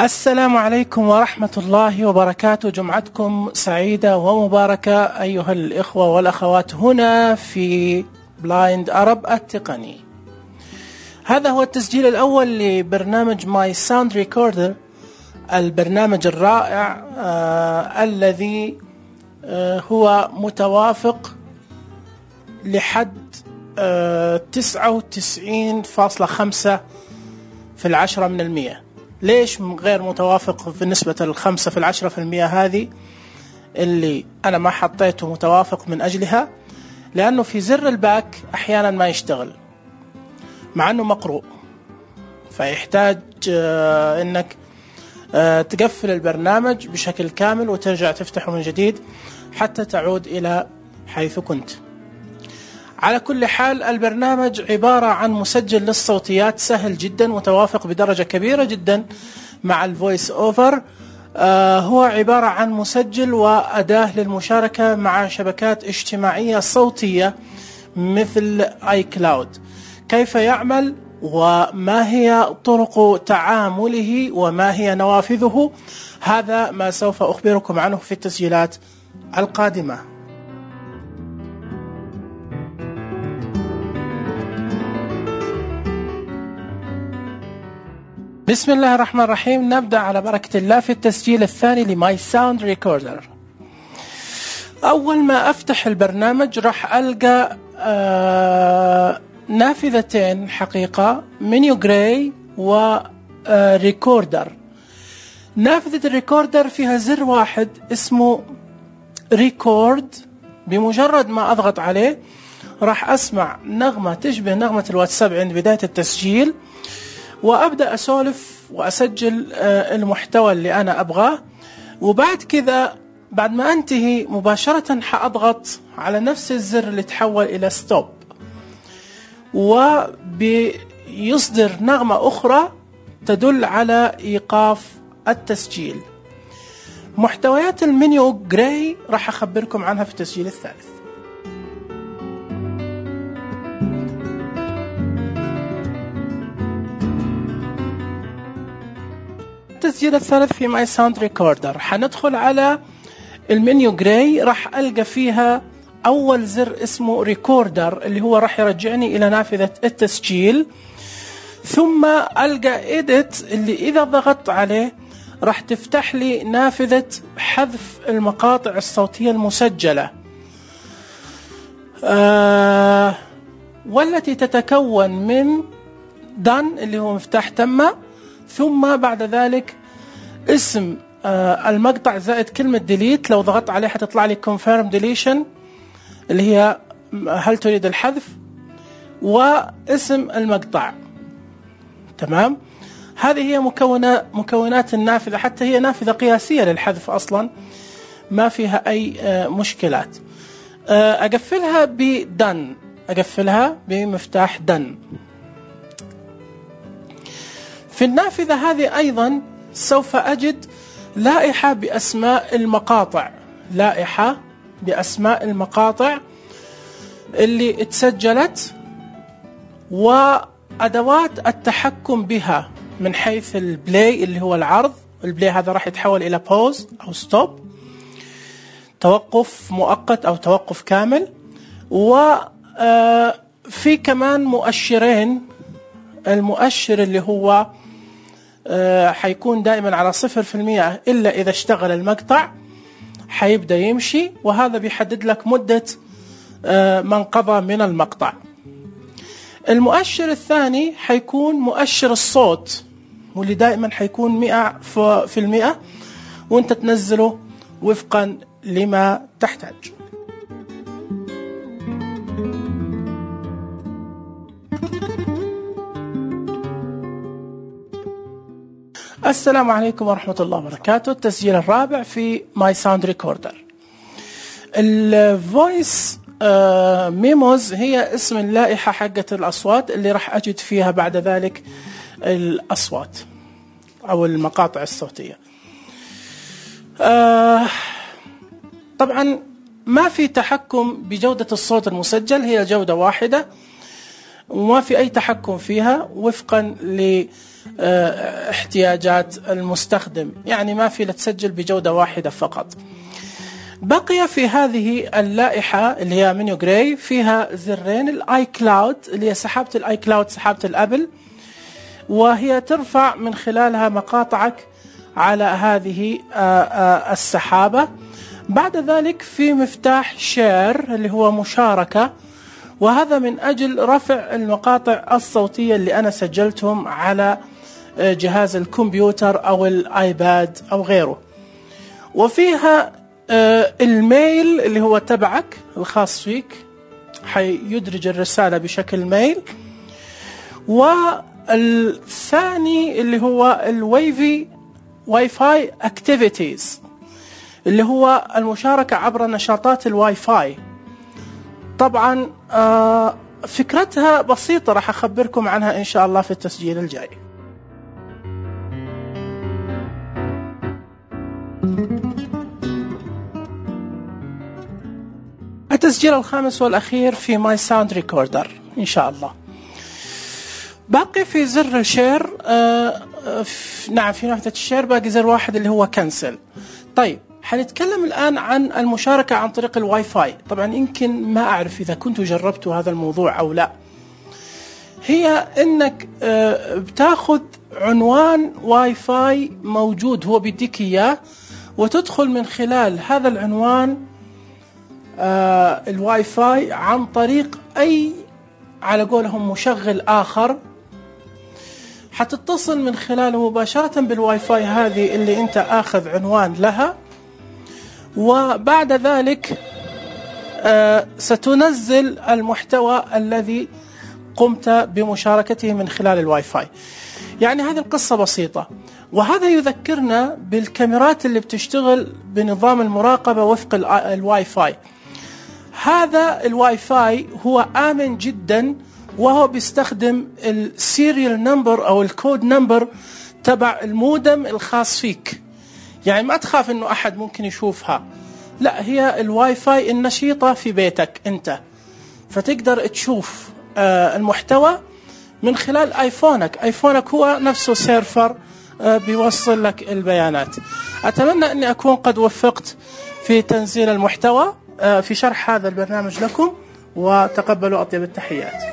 السلام عليكم ورحمة الله وبركاته. جمعتكم سعيدة ومباركة أيها الإخوة والأخوات هنا في بلايند أرب التقني. هذا هو التسجيل الأول لبرنامج ماي ساوند ريكوردر، البرنامج الرائع الذي هو متوافق لحد 99.5 في 10%. ليش غير متوافق بالنسبة ل5 في 10% هذه اللي أنا ما حطيته متوافق من أجلها؟ لأنه في زر الباك أحيانا ما يشتغل مع أنه مقروء، فيحتاج أنك تقفل البرنامج بشكل كامل وترجع تفتحه من جديد حتى تعود إلى حيث كنت. على كل حال، البرنامج عبارة عن مسجل للصوتيات سهل جدا، متوافق بدرجة كبيرة جدا مع الفويس اوفر. هو عبارة عن مسجل وأداة للمشاركة مع شبكات اجتماعية صوتية مثل اي كلاود. كيف يعمل وما هي طرق تعامله وما هي نوافذه، هذا ما سوف أخبركم عنه في التسجيلات القادمة. بسم الله الرحمن الرحيم. نبدأ على بركة الله في التسجيل الثاني لماي ساوند ريكوردر. أول ما أفتح البرنامج راح ألقى نافذتين حقيقة، منيو جراي وريكوردر. نافذة الريكوردر فيها زر واحد اسمه ريكورد، بمجرد ما أضغط عليه راح أسمع نغمة تشبه نغمة الواتساب عند بداية التسجيل، وأبدأ أسولف وأسجل المحتوى اللي أنا أبغاه. وبعد كذا بعد ما أنتهي مباشرة حأضغط على نفس الزر اللي تحول إلى ستوب، وبيصدر نغمة أخرى تدل على إيقاف التسجيل. محتويات المنيو جراي راح أخبركم عنها في التسجيل الثالث. التسجيل الثالث في ماي ساوند ريكوردر، حندخل على المنيو جراي، راح ألقى فيها أول زر اسمه ريكوردر اللي هو راح يرجعني إلى نافذة التسجيل، ثم ألقى إيديت اللي إذا ضغطت عليه راح تفتح لي نافذة حذف المقاطع الصوتية المسجلة، والتي تتكون من done اللي هو مفتاح تم، ثم بعد ذلك اسم المقطع زائد كلمة delete. لو ضغطت عليه حتطلع لي confirm deletion اللي هي هل تريد الحذف، واسم المقطع. تمام، هذه هي مكونات النافذة، حتى هي نافذة قياسية للحذف أصلا، ما فيها أي مشكلات. أقفلها بدن، أقفلها بمفتاح دن. في النافذة هذه أيضا سوف أجد لائحة بأسماء المقاطع، لائحة بأسماء المقاطع اللي اتسجلت وأدوات التحكم بها من حيث البلاي اللي هو العرض. البلاي هذا راح يتحول إلى بوز أو ستوب، توقف مؤقت أو توقف كامل. وفي كمان مؤشرين، المؤشر اللي هو حيكون دائما على 0% إلا إذا اشتغل المقطع حيبدأ يمشي، وهذا بيحدد لك مدة ما انقضى من المقطع. المؤشر الثاني حيكون مؤشر الصوت، واللي دائما حيكون 100%، وانت تنزله وفقا لما تحتاج. السلام عليكم ورحمة الله وبركاته. التسجيل الرابع في ماي ساوند ريكوردر. الفويس ميموز هي اسم اللائحة حقة الأصوات اللي راح أجد فيها بعد ذلك الأصوات أو المقاطع الصوتية. طبعا ما في تحكم بجودة الصوت المسجل، هي جودة واحدة وما في أي تحكم فيها وفقا احتياجات المستخدم، يعني ما في تسجل بجودة واحدة فقط. بقي في هذه اللائحة اللي هي منيو جراي فيها زرين، الاي كلاود اللي هي سحابة الاي كلاود، سحابة الابل، وهي ترفع من خلالها مقاطعك على هذه السحابة. بعد ذلك في مفتاح شير اللي هو مشاركة، وهذا من أجل رفع المقاطع الصوتية اللي أنا سجلتهم على جهاز الكمبيوتر أو الآيباد أو غيره. وفيها الميل اللي هو تبعك الخاص فيك، حيدرج الرسالة بشكل ميل. والثاني اللي هو الواي فاي اكتيفيتيز اللي هو المشاركة عبر نشاطات الواي فاي. طبعا فكرتها بسيطة، راح أخبركم عنها إن شاء الله في التسجيل الجاي. التسجيل الخامس والأخير في ماي ساوند ريكوردر إن شاء الله. باقي في زر الشير، نعم في ناحية الشير باقي زر واحد اللي هو كنسل. طيب حنتكلم الآن عن المشاركة عن طريق الواي فاي. طبعا يمكن ما أعرف إذا كنتوا جربتوا هذا الموضوع أو لا. هي إنك بتاخذ عنوان واي فاي موجود هو بيديك إياه، وتدخل من خلال هذا العنوان الواي فاي عن طريق أي على قولهم مشغل آخر، حتتصل من خلاله مباشرة بالواي فاي هذه اللي أنت آخذ عنوان لها. وبعد ذلك ستنزل المحتوى الذي قمت بمشاركته من خلال الواي فاي. يعني هذه القصة بسيطة، وهذا يذكرنا بالكاميرات اللي بتشتغل بنظام المراقبة وفق الواي فاي. هذا الواي فاي هو آمن جدا، وهو بيستخدم السيريال نمبر أو الكود نمبر تبع المودم الخاص فيك. يعني ما تخاف إنه أحد ممكن يشوفها، لا، هي الواي فاي النشيطة في بيتك أنت، فتقدر تشوف المحتوى من خلال آيفونك هو نفسه سيرفر بيوصل لك البيانات. أتمنى أني أكون قد وفقت في تنزيل المحتوى في شرح هذا البرنامج لكم، وتقبلوا أطيب التحيات.